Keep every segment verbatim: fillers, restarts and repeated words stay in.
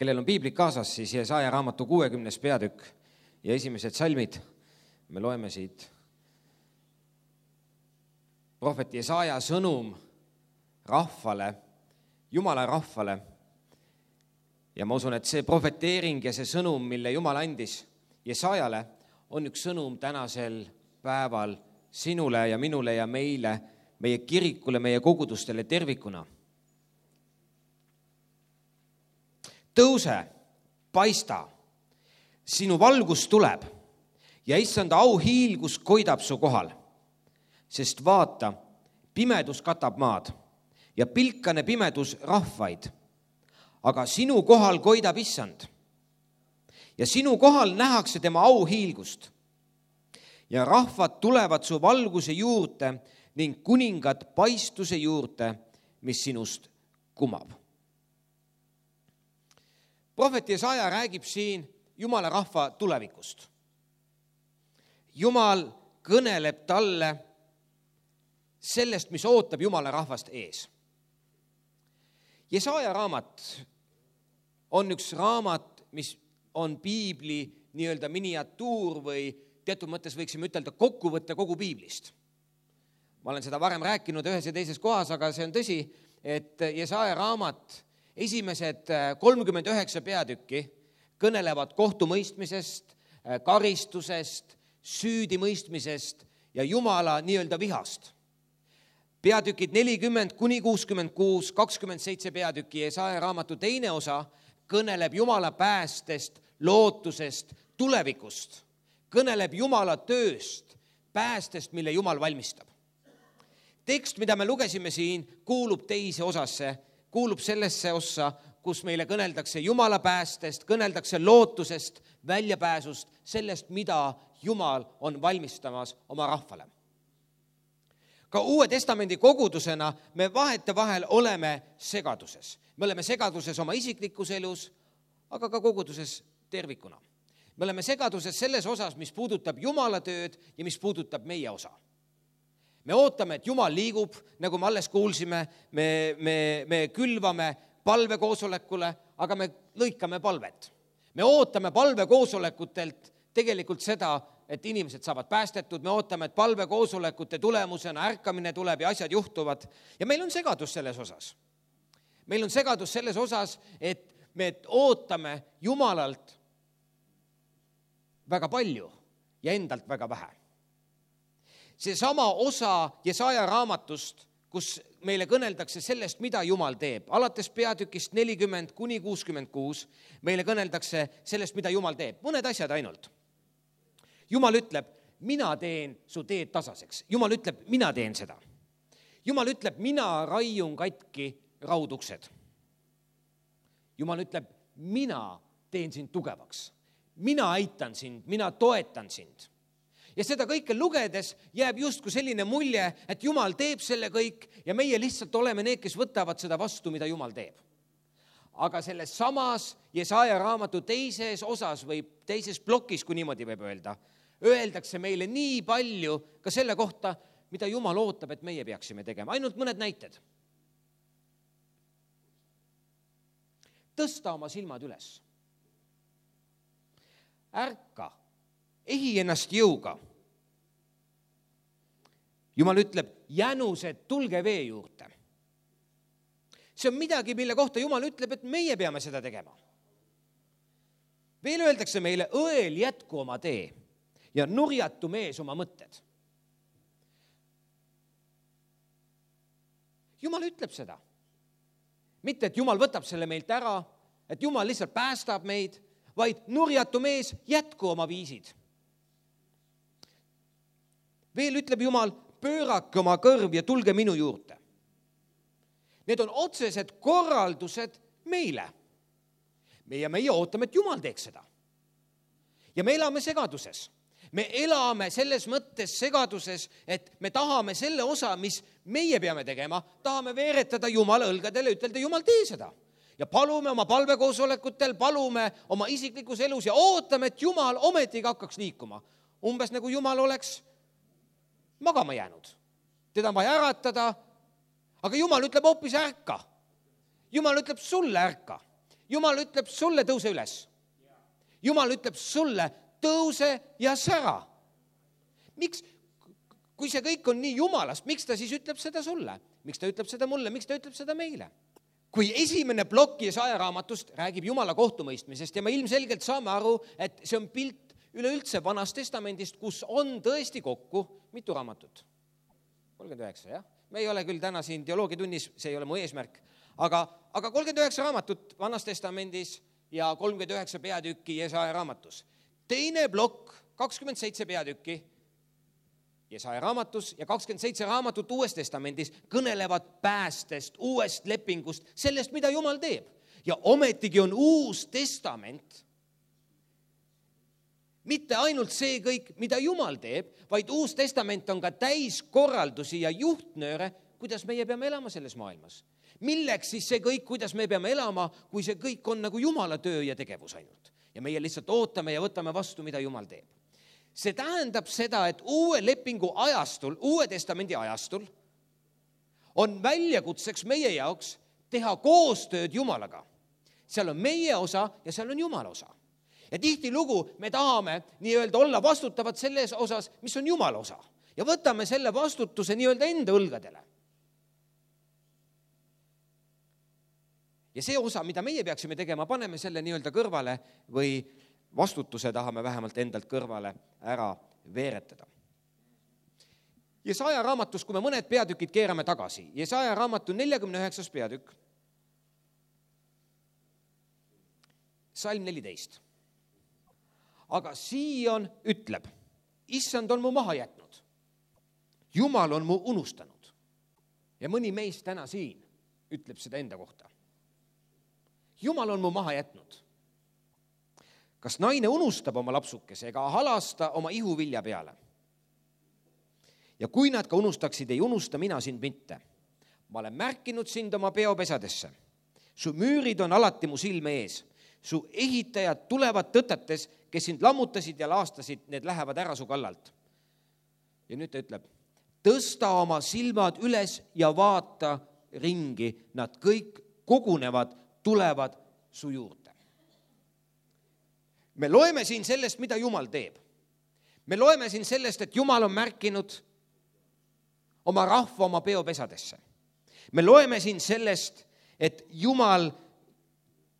kellel on piiblik kaasas, siis Jesaja raamatu kuuekümnes peatükk ja esimesed salmid. Me loeme siit prohvet Jesaja sõnum rahvale, Jumala rahvale. Ja ma usun, et see prohveteering ja see sõnum, mille Jumal andis Jesajale, on üks sõnum tänasel päeval sinule ja minule ja meile, meie kirikule, meie kogudustele tervikuna. Tõuse, paista, sinu valgus tuleb ja issanda auhiilgus koidab su kohal, sest vaata, pimedus katab maad ja pilkane pimedus rahvaid, aga sinu kohal koidab issand ja sinu kohal nähakse tema auhiilgust ja rahvad tulevad su valguse juurde ning kuningad paistuse juurde, mis sinust kumab. Prohvet Jesaja räägib siin Jumala rahva tulevikust. Jumal kõneleb talle sellest, mis ootab Jumala rahvast ees. Jesaja raamat on üks raamat, mis on piibli nii-öelda miniatuur või teatud mõttes võiksime ütelda kokkuvõtte kogu piiblist. Ma olen seda varem rääkinud ühes ja teises kohas, aga see on tõsi, et Jesaja raamat esimesed kolmkümmend üheksa peatükki kõnelevad kohtumõistmisest, karistusest, süüdimõistmisest ja Jumala nii-öelda vihast. Peatükid nelikümmend kuni kuuskümmend kuus, kakskümmend seitse peatükki Jesaja raamatu teine osa kõneleb Jumala päästest, lootusest, tulevikust. Kõneleb Jumala tööst, päästest, mille Jumal valmistab. Tekst, mida me lugesime siin, kuulub teise osasse, kuulub sellesse ossa, kus meile kõneldakse Jumala päästest, kõneldakse lootusest, väljapääsust, sellest, mida Jumal on valmistamas oma rahvale. Ka Uue Testamendi kogudusena me vahete vahel oleme segaduses. Me oleme segaduses oma isiklikus elus, aga ka koguduses tervikuna. Me oleme segaduses selles osas, mis puudutab Jumala tööd ja mis puudutab meie osa. Me ootame, et Jumal liigub, nagu me alles kuulsime, me, me, me külvame palvekoosolekule, aga me lõikame palvet. Me ootame palvekoosolekutelt tegelikult seda, et inimesed saavad päästetud, me ootame, et palvekoosolekute tulemusena ärkamine tuleb ja asjad juhtuvad. Ja meil on segadus selles osas. Meil on segadus selles osas, et me ootame Jumalalt väga palju ja endalt väga vähe. See sama osa Jesaja raamatust, kus meile kõneldakse sellest, mida Jumal teeb. Alates peatükist nelikümmend kuni kuuskümmend kuus meile kõneldakse sellest, mida Jumal teeb. Mõned asjad ainult. Jumal ütleb, mina teen su teed tasaseks. Jumal ütleb, mina teen seda. Jumal ütleb, mina raiun katki rauduksed. Jumal ütleb, mina teen sind tugevaks. Mina aitan sind, mina toetan sind. Ja seda kõike lugedes jääb justkui selline mulje, et Jumal teeb selle kõik ja meie lihtsalt oleme need, kes võtavad seda vastu, mida Jumal teeb. Aga selles samas Jesaja raamatu teises osas või teises plokis, kui niimoodi võib öelda, öeldakse meile nii palju ka selle kohta, mida Jumal ootab, et meie peaksime tegema. Ainult mõned näited. Tõsta oma silmad üles. Ärka. Ehi ennast jõuga. Jumal ütleb, jänused, tulge vee juurde. See on midagi, mille kohta Jumal ütleb, et meie peame seda tegema. Veel öeldakse meile, õel jätku oma tee ja nurjatu mees oma mõtted. Jumal ütleb seda. Mitte, et Jumal võtab selle meilt ära, et Jumal lihtsalt päästab meid, vaid nurjatu mees jätku oma viisid. Veel ütleb Jumal, pöörake oma kõrv ja tulge minu juurde. Need on otsesed korraldused meile. Meie, meie ootame, et Jumal teeks seda. Ja me elame segaduses. Me elame selles mõttes segaduses, et me tahame selle osa, mis meie peame tegema, tahame veeretada Jumala õlgadele, ütelda, Jumal, tee seda. Ja palume oma palvekoosolekutel, palume oma isiklikus elus ja ootame, et Jumal ometigi hakkaks liikuma. Umbes nagu Jumal oleks magama jäänud. Teda on vaja äratada, aga Jumal ütleb hoopis ärka. Jumal ütleb sulle ärka. Jumal ütleb sulle, tõuse üles. Jumal ütleb sulle, tõuse ja sära. Miks, kui see kõik on nii Jumalast, miks ta siis ütleb seda sulle? Miks ta ütleb seda mulle? Miks ta ütleb seda meile? Kui esimene plokk Jesaja raamatust räägib Jumala kohtumõistmisest ja me ilmselgelt saame aru, et see on pilt üleüldse Vanast Testamendist, kus on tõesti kokku mitu raamatut? kolmkümmend üheksa, jah? Me ei ole küll täna siin teoloogiatunnis, see ei ole mu eesmärk, aga, aga kolmkümmend üheksa raamatut Vanas Testamendis ja kolmkümmend üheksa peatükki Jesaja raamatus. Teine plokk, kakskümmend seitse peatükki Jesaja raamatus ja kakskümmend seitse raamatut Uues Testamendis kõnelevad päästest, uuest lepingust, sellest, mida Jumal teeb. Ja ometigi on Uus Testament mitte ainult see kõik, mida Jumal teeb, vaid Uus Testament on ka täis korraldusi ja juhtnööre, kuidas meie peame elama selles maailmas. Milleks siis see kõik, kuidas me peame elama, kui see kõik on nagu Jumala töö ja tegevus ainult. Ja meie lihtsalt ootame ja võtame vastu, mida Jumal teeb. See tähendab seda, et uue lepingu ajastul, Uue Testamendi ajastul on väljakutseks meie jaoks teha koostööd Jumalaga. Seal on meie osa ja seal on Jumala osa. Ja tihti lugu me tahame nii-öelda olla vastutavad selles osas, mis on Jumala osa. Ja võtame selle vastutuse nii-öelda enda õlgadele. Ja see osa, mida meie peaksime tegema, paneme selle nii-öelda kõrvale või vastutuse tahame vähemalt endalt kõrvale ära veeretada. Jesaja raamatus, kui me mõned peatükid keerame tagasi, Jesaja raamatu neljakümne üheksas peatükk, salm neliteist. Aga Sion ütleb, issand on mu maha jätnud. Jumal on mu unustanud. Ja mõni meist täna siin ütleb seda enda kohta. Jumal on mu maha jätnud. Kas naine unustab oma lapsukese ega halasta oma ihuvilja peale? Ja kui nad ka unustaksid, ei unusta mina sind mitte. Ma olen märkinud sind oma peopesadesse. Su müürid on alati mu silme ees. Su ehitajad tulevad tõtetes, kes sind lammutasid ja laastasid, need lähevad ära su kallalt. Ja nüüd ta ütleb, tõsta oma silmad üles ja vaata ringi. Nad kõik kogunevad, tulevad su juurde. Me loeme siin sellest, mida Jumal teeb. Me loeme siin sellest, et Jumal on märkinud oma rahva oma peopesadesse. Me loeme siin sellest, et Jumal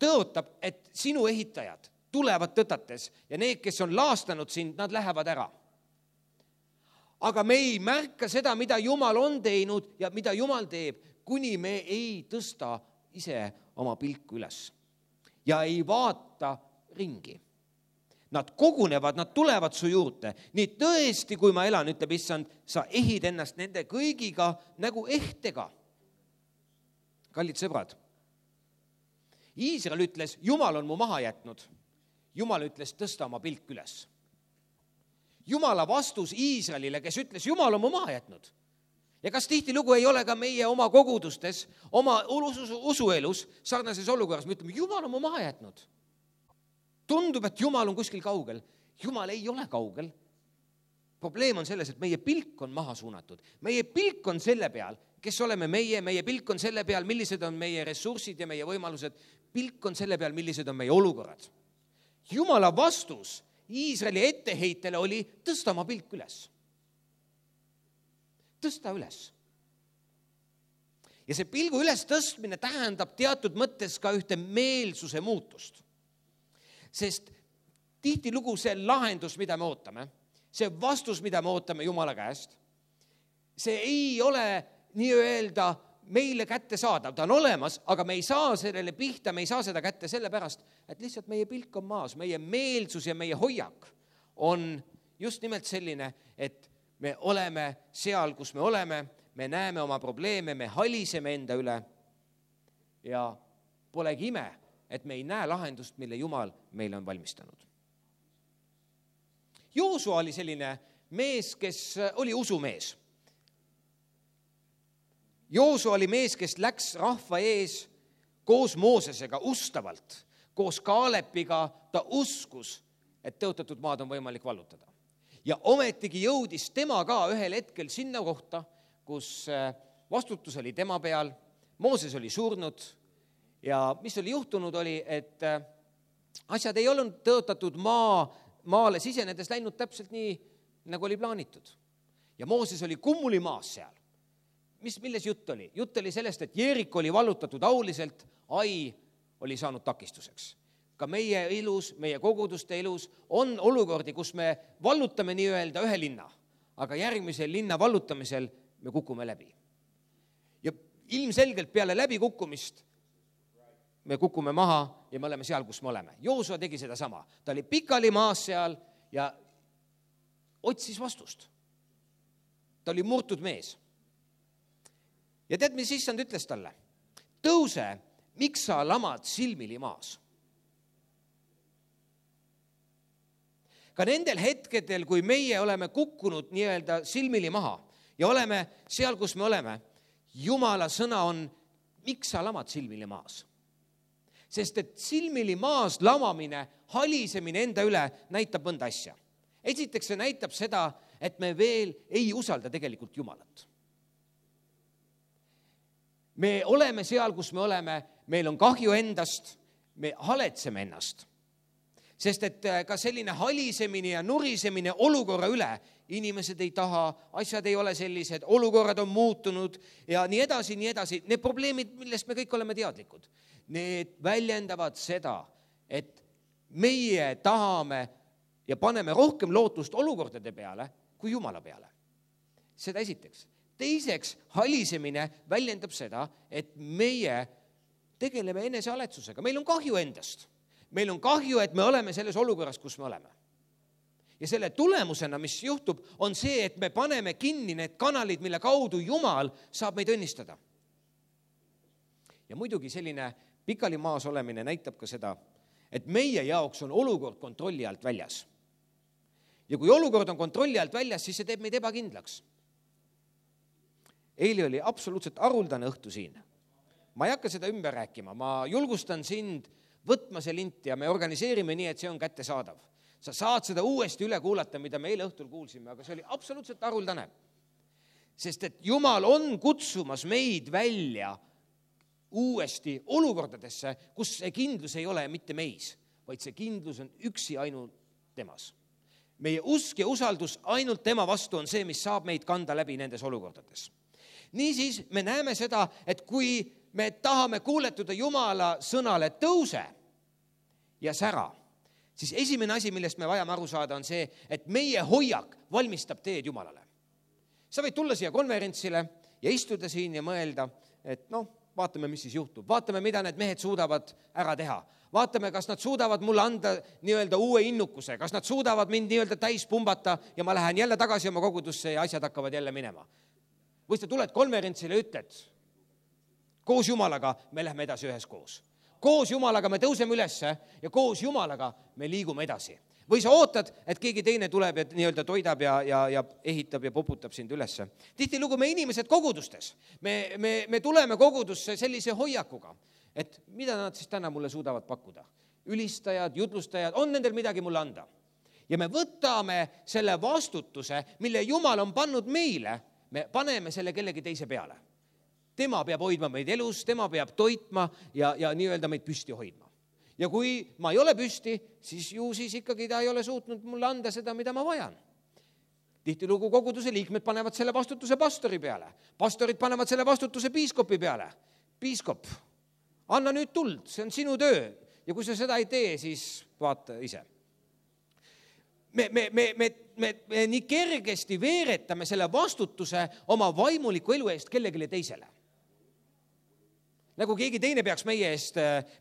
tõotab, et sinu ehitajad tulevad tõtates ja need, kes on laastanud sind, nad lähevad ära. Aga me ei märka seda, mida Jumal on teinud ja mida Jumal teeb, kuni me ei tõsta ise oma pilku üles ja ei vaata ringi. Nad kogunevad, nad tulevad su juurde. Nii tõesti, kui ma elan, ütleb issand, sa ehid ennast nende kõigiga nagu ehtega. Kallid sõbrad, Iisrael ütles, Jumal on mu maha jätnud. Jumal ütles, tõsta oma pilk üles. Jumala vastus Iisraelile, kes ütles, Jumal on mu maha jätnud. Ja kas tihtilugu ei ole ka meie oma kogudustes, oma usuelus, sarnases olukorras, me ütleme, Jumal on mu maha jätnud. Tundub, et Jumal on kuskil kaugel. Jumal ei ole kaugel. Probleem on selles, et meie pilk on maha suunatud. Meie pilk on selle peal, kes oleme meie, meie pilk on selle peal, millised on meie ressursid ja meie võimalused. Pilk on selle peal, millised on meie olukorrad. Jumala vastus Iisraeli etteheitele oli tõsta oma pilk üles. Tõsta üles. Ja see pilgu üles tõstmine tähendab teatud mõttes ka ühte meelsuse muutust. Sest tihtilugu see lahendus, mida me ootame, see vastus, mida me ootame Jumala käest, see ei ole nii-öelda meile kätte saadav. Ta on olemas, aga me ei saa sellele pihta, me ei saa seda kätte sellepärast, et lihtsalt meie pilk on maas, meie meelsus ja meie hoiak on just nimelt selline, et me oleme seal, kus me oleme, me näeme oma probleeme, me haliseme enda üle ja polegi ime, et me ei näe lahendust, mille Jumal meile on valmistanud. Joosua oli selline mees, kes oli usumees. Joosua oli mees, kes läks rahva ees koos Moosesega ustavalt, koos Kaalepiga ta uskus, et tõotatud maad on võimalik vallutada. Ja ometigi jõudis tema ka ühel hetkel sinna kohta, kus vastutus oli tema peal, Mooses oli surnud ja mis oli juhtunud, oli, et asjad ei olnud tõotatud maa, maale sisenedes läinud täpselt nii, nagu oli plaanitud. Ja Mooses oli kummulimaas seal. Mis, milles jutt oli? Jutt oli sellest, et Jeerik oli vallutatud auliselt, Ai oli saanud takistuseks. Ka meie elus, meie koguduste elus on olukordi, kus me vallutame nii-öelda ühe linna, aga järgmisel linna vallutamisel me kukume läbi. Ja ilmselgelt peale läbikukkumist me kukume maha ja me oleme seal, kus me oleme. Joosua tegi seda sama. Ta oli pikali maas seal ja otsis vastust. Ta oli murtud mees. Ja tead, mis issand ütles talle? Tõuse, miks sa lamad silmili maas? Ka nendel hetkedel, kui meie oleme kukkunud nii-öelda silmili maha ja oleme seal, kus me oleme, Jumala sõna on, miks sa lamad silmili maas? Sest et silmili maas lamamine, halisemine enda üle näitab mõnda asja. Esiteks see näitab seda, et me veel ei usalda tegelikult Jumalat. Me oleme seal, kus me oleme, meil on kahju endast, me haletseme ennast. Sest et ka selline halisemine ja nurisemine olukorra üle, inimesed ei taha, asjad ei ole sellised, olukorrad on muutunud ja nii edasi, nii edasi. Need probleemid, millest me kõik oleme teadlikud, need väljendavad seda, et meie tahame ja paneme rohkem lootust olukordade peale kui Jumala peale. Seda esiteks. Teiseks, halisemine väljendab seda, et meie tegeleme enesealetsusega. Meil on kahju endast. Meil on kahju, et me oleme selles olukorras, kus me oleme. Ja selle tulemusena, mis juhtub, on see, et me paneme kinni need kanalid, mille kaudu Jumal saab meid õnnistada. Ja muidugi selline pikali maas olemine näitab ka seda, et meie jaoks on olukord kontrolli alt väljas. Ja kui olukord on kontrolli alt väljas, siis see teeb meid ebakindlaks. Eili oli absoluutselt haruldane õhtu siin. Ma ei hakka seda ümber rääkima, ma julgustan sind võtma see lint ja me organiseerime nii, et see on kättesaadav. Sa saad seda uuesti üle kuulata, mida me eile õhtul kuulsime, aga see oli absoluutselt haruldane. Sest et Jumal on kutsumas meid välja uuesti olukordadesse, kus see kindlus ei ole mitte meis, vaid see kindlus on üksi ainult temas. Meie usk ja usaldus ainult tema vastu on see, mis saab meid kanda läbi nendes olukordades. Niisiis me näeme seda, et kui me tahame kuuletuda Jumala sõnale tõuse ja sära, siis esimene asi, millest me vajame aru saada, on see, et meie hoiak valmistab teed Jumalale. Sa võid tulla siia konverentsile ja istuda siin ja mõelda, et noh, vaatame, mis siis juhtub. Vaatame, mida need mehed suudavad ära teha. Vaatame, kas nad suudavad mulle anda nii-öelda uue innukuse, kas nad suudavad mind nii-öelda täis pumbata ja ma lähen jälle tagasi oma kogudusse ja asjad hakkavad jälle minema. Või sa tuled konverentsile ja ütled, koos Jumalaga me lähme edasi ühes koos. Koos Jumalaga me tõuseme ülesse ja koos Jumalaga me liigume edasi. Või sa ootad, et keegi teine tuleb ja nii-öelda toidab ja, ja, ja ehitab ja poputab sind ülesse. Tihtilugu me inimesed kogudustes. Me, me, me tuleme kogudusse sellise hoiakuga, et mida nad siis täna mulle suudavad pakkuda. Ülistajad, jutlustajad, on nendel midagi mulle anda. Ja me võtame selle vastutuse, mille Jumal on pannud meile, me paneme selle kellegi teise peale. Tema peab hoidma meid elus, tema peab toitma ja, ja nii-öelda meid püsti hoidma. Ja kui ma ei ole püsti, siis ju siis ikkagi ta ei ole suutnud mulle anda seda, mida ma vajan. Tihtilugu koguduse liikmed panevad selle vastutuse pastori peale. Pastorid panevad selle vastutuse piiskopi peale. Piiskop, anna nüüd tuld, see on sinu töö. Ja kui sa seda ei tee, siis vaata ise. Me, me, me, me, me, me nii kergesti veeretame selle vastutuse oma vaimuliku elu eest kellegile teisele. Nagu keegi teine peaks meie eest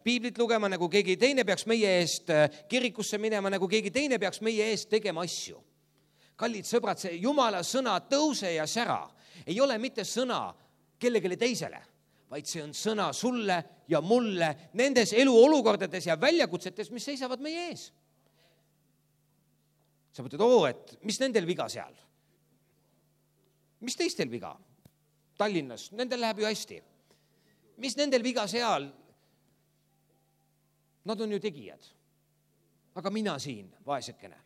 piiblit lugema, nagu keegi teine peaks meie eest kirikusse minema, nagu keegi teine peaks meie eest tegema asju. Kallid sõbrad, see Jumala sõna tõuse ja sära ei ole mitte sõna kellegile teisele, vaid see on sõna sulle ja mulle nendes eluolukordades ja väljakutsetes, mis seisavad meie ees. Sa mõtled, oo, et mis nendel viga seal? Mis teistel viga? Tallinnas, nendel läheb ju hästi. Mis nendel viga seal? Nad on ju tegijad. Aga mina siin, vaesekene.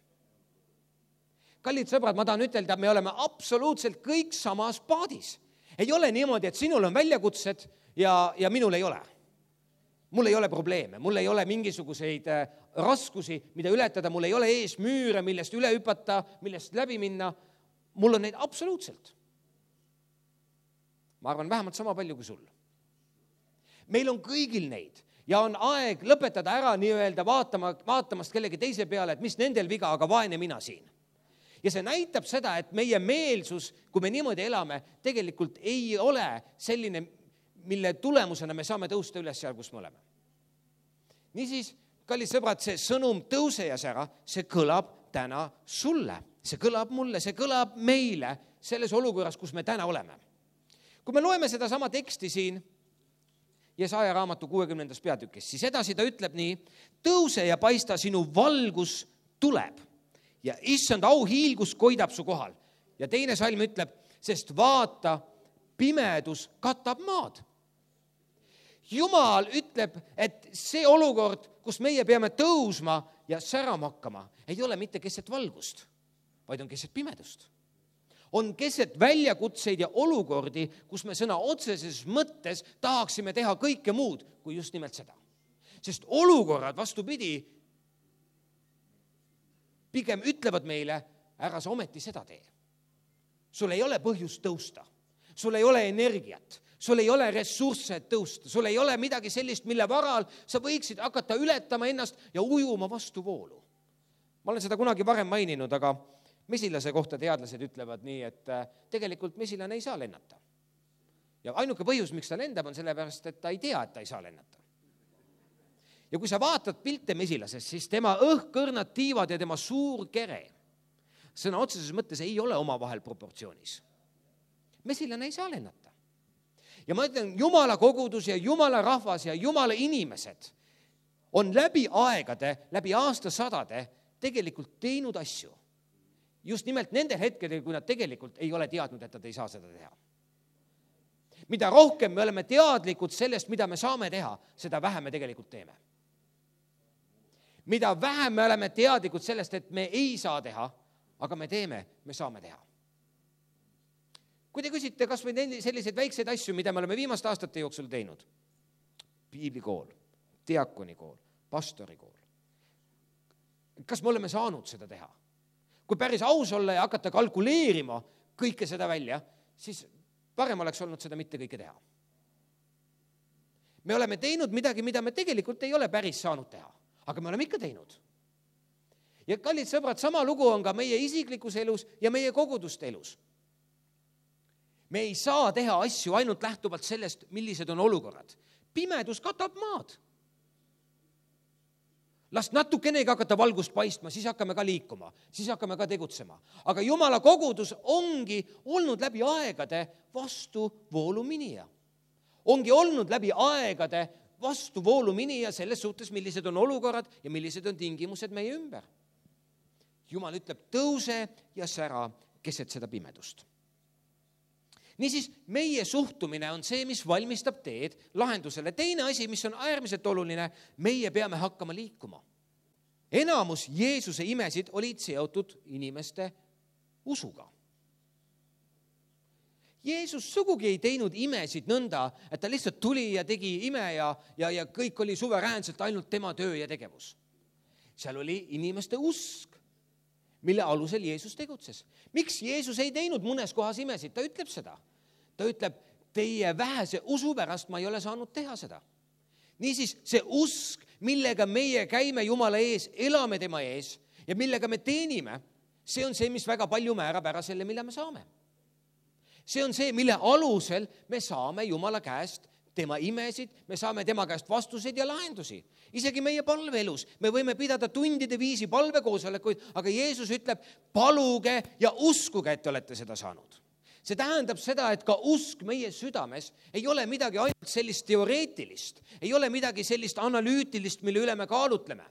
Kallid sõbrad, ma tahan ütelda, me oleme absoluutselt kõik samas paadis. Ei ole niimoodi, et sinul on väljakutsed ja, ja minul ei ole. mul ei ole probleeme, mul ei ole mingisuguseid raskusi, mida ületada, mul ei ole ees müüre, millest üle hüpata, millest läbi minna. Mul on neid absoluutselt. Ma arvan, vähemalt sama palju kui sul. Meil on kõigil neid ja on aeg lõpetada ära nii-öelda vaatama, vaatamast kellegi teise peale, et mis nendel viga, aga vaene mina siin. Ja see näitab seda, et meie meelsus, kui me niimoodi elame, tegelikult ei ole selline, mille tulemusena me saame tõusta üles seal, kus me oleme. Niisiis, kallid sõbrad, see sõnum tõuse ja sära, see kõlab täna sulle. See kõlab mulle, see kõlab meile selles olukorras, kus me täna oleme. Kui me loeme seda sama teksti siin, Jesaja raamatu kuuekümnendas peatükis, siis edasi ta ütleb nii, tõuse ja paista, sinu valgus tuleb ja issand auhiilgus koidab su kohal. Ja teine salm ütleb, sest vaata, pimedus katab maad. Jumal ütleb, et see olukord, kus meie peame tõusma ja särama hakkama, ei ole mitte keset valgust, vaid on keset pimedust. On keset väljakutseid ja olukordi, kus me sõna otseses mõttes tahaksime teha kõike muud kui just nimelt seda. Sest olukorrad, vastupidi, pigem ütlevad meile, ära sa ometi seda tee. Sul ei ole põhjust tõusta, sul ei ole energiat, sul ei ole ressursse tõusta, sul ei ole midagi sellist, mille varal sa võiksid hakata ületama ennast ja ujuma vastu voolu. Ma olen seda kunagi varem maininud, aga mesilase kohta teadlased ütlevad nii, et tegelikult mesilane ei saa lennata. Ja ainuke põhjus, miks ta lendab, on sellepärast, et ta ei tea, et ta ei saa lennata. Ja kui sa vaatad pilte mesilasest, siis tema õhkõrnad tiivad ja tema suur kere sõna otseses mõttes ei ole omavahel proportsioonis. Mesilane ei saa lennata. Ja ma ütlen, Jumala kogudus ja Jumala rahvas ja Jumala inimesed on läbi aegade, läbi aastasadade tegelikult teinud asju. Just nimelt nendel hetkedel, kui nad tegelikult ei ole teadnud, et nad ei saa seda teha. Mida rohkem me oleme teadlikud sellest, mida me saame teha, seda vähem me tegelikult teeme. Mida vähem me oleme teadlikud sellest, et me ei saa teha, aga me teeme, me saame teha. Kui te küsite, kas või selliseid väikseid asju, mida me oleme viimaste aastate jooksul teinud, piiblikool, diakonikool, pastorikool, kas me oleme saanud seda teha? Kui päris aus olla ja hakata kalkuleerima kõike seda välja, siis parem oleks olnud seda mitte kõike teha. Me oleme teinud midagi, mida me tegelikult ei ole päris saanud teha, aga me oleme ikka teinud. Ja kallid sõbrad, sama lugu on ka meie isiklikus elus ja meie koguduste elus. Me ei saa teha asju ainult lähtuvalt sellest, millised on olukorrad. Pimedus katab maad. Las natukenegi hakata valgust paistma, siis hakkame ka liikuma, siis hakkame ka tegutsema. Aga Jumala kogudus ongi olnud läbi aegade vastu vooluminija. Ongi olnud läbi aegade vastu vooluminija selles suhtes, millised on olukorrad ja millised on tingimused meie ümber. Jumal ütleb, tõuse ja sära keset seda pimedust. Niisiis, meie suhtumine on see, mis valmistab teed lahendusele. Teine asi, mis on äärmiselt oluline, meie peame hakkama liikuma. Enamus Jeesuse imesid olid seotud inimeste usuga. Jeesus sugugi ei teinud imesid nõnda, et ta lihtsalt tuli ja tegi ime ja, ja, ja kõik oli suveräänselt ainult tema töö ja tegevus. Seal oli inimeste usk, mille alusel Jeesus tegutses. Miks Jeesus ei teinud mõnes kohas imesid? Ta ütleb seda. Ta ütleb, teie vähese usu pärast ma ei ole saanud teha seda. Niisiis, see usk, millega meie käime Jumala ees, elame tema ees ja millega me teenime, see on see, mis väga palju määrab ära selle, mille me saame. See on see, mille alusel me saame Jumala käest tema imesid, me saame tema käest vastuseid ja lahendusi. Isegi meie palveelus. Me võime pidada tundide viisi palvekoosolekuid, aga Jeesus ütleb, paluge ja uskuge, et te olete seda saanud. See tähendab seda, et ka usk meie südames ei ole midagi ainult sellist teoreetilist, ei ole midagi sellist analüütilist, mille üle me kaalutleme,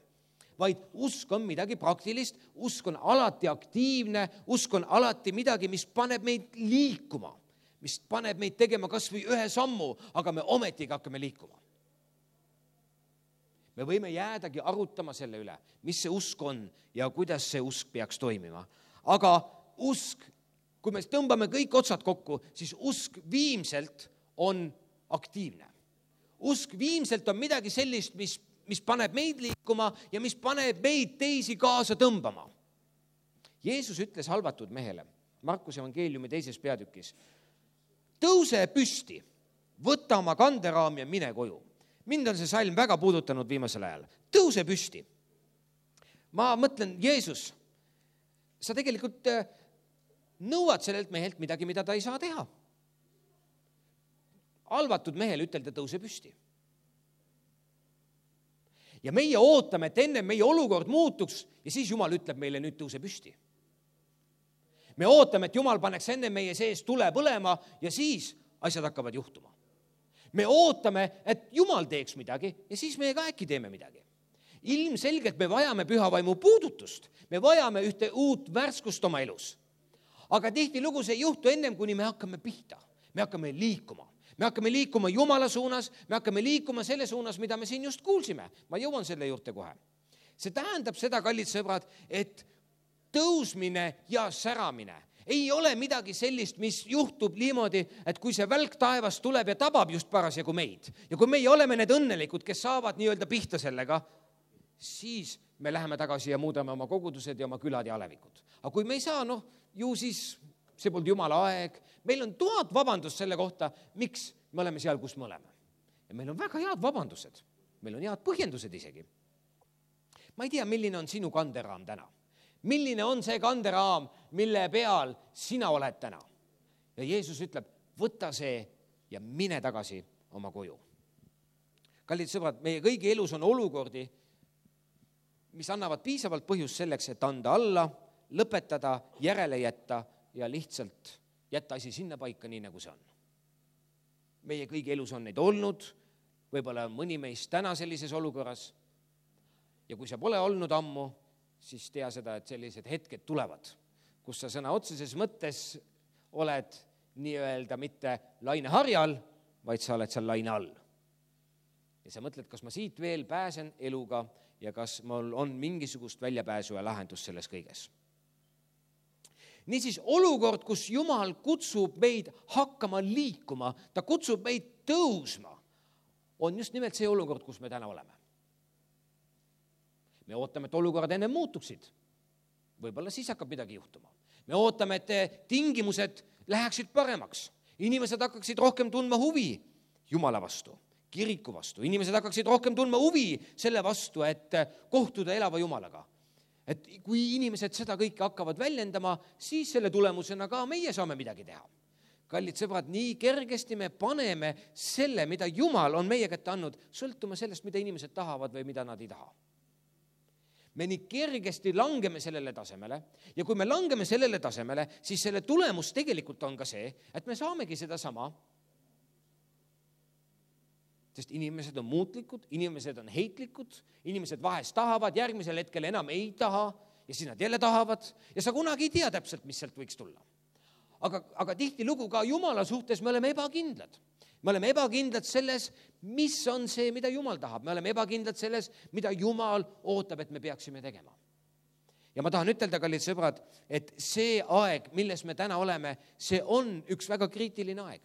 vaid usk on midagi praktilist, usk on alati aktiivne, usk on alati midagi, mis paneb meid liikuma, mis paneb meid tegema kas või ühe sammu, aga me ometigi hakkame liikuma. Me võime jäädagi arutama selle üle, mis see usk on ja kuidas see usk peaks toimima. Aga usk, kui me tõmbame kõik otsad kokku, siis usk viimselt on aktiivne. usk viimselt on midagi sellist, mis, mis paneb meid liikuma ja mis paneb meid teisi kaasa tõmbama. Jeesus ütles halvatud mehele, Markuse evangeeliumi teises peatükis, tõuse püsti, võta oma kanderaam ja mine koju. Mind on see salm väga puudutanud viimasel ajal. Tõuse püsti. Ma mõtlen, Jeesus, sa tegelikult nõuad sellelt mehelt midagi, mida ta ei saa teha. Halvatud mehele ütelda, tõuse püsti. Ja meie ootame, et enne meie olukord muutuks ja siis Jumal ütleb meile, nüüd tõuse püsti. Me ootame, et Jumal paneks enne meie sees tule põlema ja siis asjad hakkavad juhtuma. Me ootame, et Jumal teeks midagi ja siis meie ka äkki teeme midagi. Ilmselgelt me vajame püha vaimu puudutust. Me vajame ühte uut värskust oma elus. Aga tihtilugu see ei juhtu ennem, kuni me hakkame pihta. Me hakkame liikuma. Me hakkame liikuma Jumala suunas, me hakkame liikuma selle suunas, mida me siin just kuulsime. Ma jõuan selle juurde kohe. See tähendab seda, kallid sõbrad, et tõusmine ja säramine ei ole midagi sellist, mis juhtub niimoodi, et kui see välk taevast tuleb ja tabab just parasjagu meid ja kui meie oleme need õnnelikud, kes saavad nii-öelda pihta sellega, siis me läheme tagasi ja muudame oma kogudused ja oma külad ja alevikud. Aga kui me ei saa, noh, ju siis see polnud Jumala aeg. Meil on tuhat vabandust selle kohta, miks me oleme seal, kus me oleme. Ja meil on väga head vabandused. Meil on head põhjendused isegi. Ma ei tea, milline on sinu kanderaam täna. Milline on see kanderaam, mille peal sina oled täna? Ja Jeesus ütleb, võta see ja mine tagasi oma koju. Kallid sõbrad, meie kõigi elus on olukordi, mis annavad piisavalt põhjust selleks, et anda alla, lõpetada, järele jätta ja lihtsalt jätta asi sinna paika nii, nagu see on. Meie kõigi elus on neid olnud, võib-olla mõni meist täna sellises olukorras ja kui sa pole olnud ammu, siis tea seda, et sellised hetked tulevad, kus sa sõna otseses mõttes oled nii-öelda mitte laineharjal, vaid sa oled seal laine all. Ja sa mõtled, kas ma siit veel pääsen eluga ja kas mul on mingisugust väljapääsu ja lahendus selles kõiges. Niisiis olukord, kus Jumal kutsub meid hakkama liikuma, ta kutsub meid tõusma, on just nimelt see olukord, kus me täna oleme. Me ootame, et olukorrad enne muutuksid. Võib-olla siis hakkab midagi juhtuma. Me ootame, et tingimused läheksid paremaks. Inimesed hakkaksid rohkem tundma huvi Jumala vastu, kiriku vastu. Inimesed hakkaksid rohkem tundma huvi selle vastu, et kohtuda elava Jumalaga. Et kui inimesed seda kõike hakkavad väljendama, siis selle tulemusena ka meie saame midagi teha. Kallid sõbrad, nii kergesti me paneme selle, mida Jumal on meie kätte andnud, sõltuma sellest, mida inimesed tahavad või mida nad ei taha. Me nii kergesti langeme sellele tasemele ja kui me langeme sellele tasemele, siis selle tulemus tegelikult on ka see, et me saamegi seda sama. Sest inimesed on muutlikud, inimesed on heitlikud, inimesed vahest tahavad, järgmisel hetkel enam ei taha ja siis nad jälle tahavad ja sa kunagi ei tea täpselt, mis sealt võiks tulla. Aga, aga tihti lugu ka Jumala suhtes me oleme ebakindlad. Me oleme ebakindlad selles, mis on see, mida Jumal tahab. Me oleme ebakindlad selles, mida Jumal ootab, et me peaksime tegema. Ja ma tahan ütelda, kallid sõbrad, et see aeg, milles me täna oleme, see on üks väga kriitiline aeg.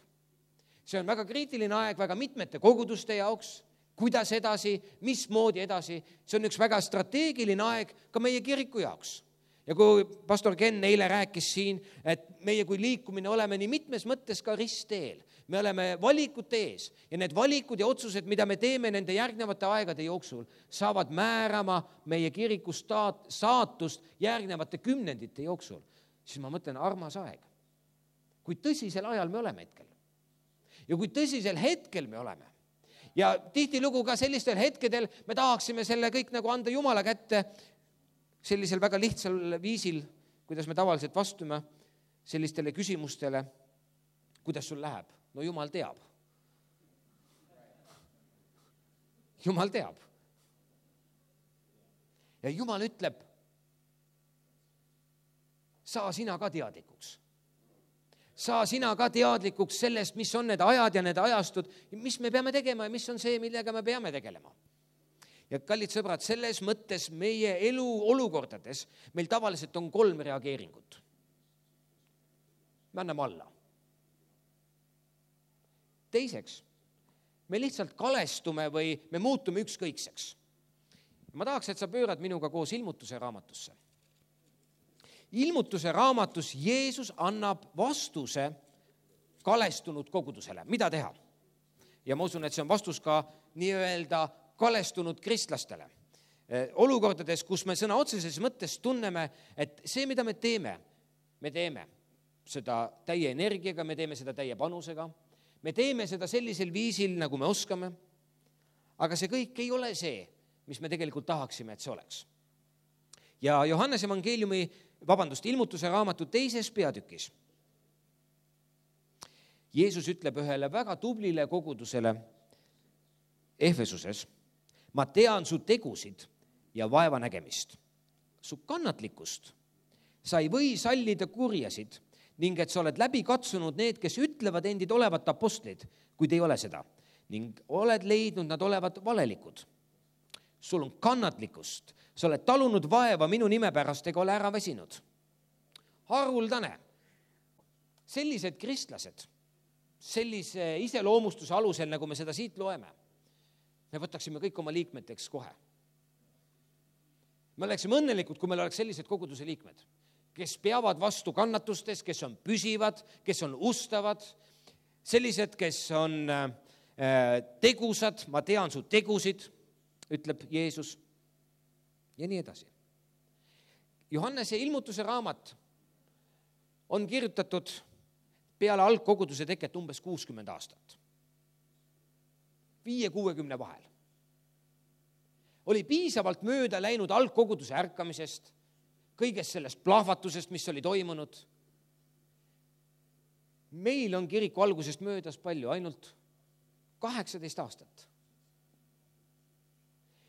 See on väga kriitiline aeg väga mitmete koguduste jaoks, kuidas edasi, mismoodi edasi. See on üks väga strateegiline aeg ka meie kiriku jaoks. Ja kui pastor Ken eile rääkis siin, et meie kui liikumine oleme nii mitmes mõttes ka ristteel. Me oleme valikute ees ja need valikud ja otsused, mida me teeme nende järgnevate aegade jooksul, saavad määrama meie kiriku saatust järgnevate kümnendite jooksul. Siis ma mõtlen, armas aeg. Kui tõsisel ajal me oleme hetkel. Ja kui tõsisel hetkel me oleme. Ja tihtilugu ka sellistel hetkedel me tahaksime selle kõik nagu anda Jumala kätte sellisel väga lihtsal viisil, kuidas me tavaliselt vastume sellistele küsimustele, kuidas sul läheb. No Jumal teab. Jumal teab. Ja Jumal ütleb, saa sina ka teadlikuks. Saa sina ka teadlikuks sellest, mis on need ajad ja need ajastud, mis me peame tegema ja mis on see, millega me peame tegelema. Ja kallid sõbrad, selles mõttes meie elu olukordades meil tavaliselt on kolm reageeringut. Me anname alla. Teiseks, me lihtsalt kalestume või me muutume ükskõikseks. Ma tahaks, et sa pöörad minuga koos ilmutuse raamatusse. Ilmutuse raamatus Jeesus annab vastuse kalestunud kogudusele. Mida teha? Ja ma usun, et see on vastus ka nii-öelda kalestunud kristlastele. Olukordades, kus me sõna otseses mõttes tunneme, et see, mida me teeme, me teeme seda täie energiaga, me teeme seda täie panusega, me teeme seda sellisel viisil, nagu me oskame, aga see kõik ei ole see, mis me tegelikult tahaksime, et see oleks. Ja Johannese evangeeliumi, vabandust, ilmutuse raamatu teises peatükis Jeesus ütleb ühele väga tublile kogudusele Efesuses, ma tean su tegusid ja vaeva nägemist, su kannatlikkust. Sa ei või sallida kurjasid ning et sa oled läbi katsunud need, kes ütlevad endid olevat apostlid, kuid ei ole seda, ning oled leidnud nad olevat valelikud. Sul on kannatlikkust, sa oled talunud vaeva minu nime pärast ega ole ära väsinud. Haruldane. Sellised kristlased, sellise iseloomustuse alusel, nagu me seda siit loeme, me võtaksime kõik oma liikmeteks kohe. Me oleksime õnnelikud, kui meil oleks sellised koguduse liikmed, kes peavad vastu kannatustes, kes on püsivad, kes on ustavad, sellised, kes on tegusad, ma tean su tegusid, ütleb Jeesus, ja nii edasi. Johannese ilmutuse raamat on kirjutatud peale algkoguduse teket umbes kuuskümmend aastat. Viie kuuekümne vahel. Oli piisavalt mööda läinud algkoguduse ärkamisest, kõigest sellest plahvatusest, mis oli toimunud. Meil on kiriku algusest möödas palju, ainult kaheksateist aastat.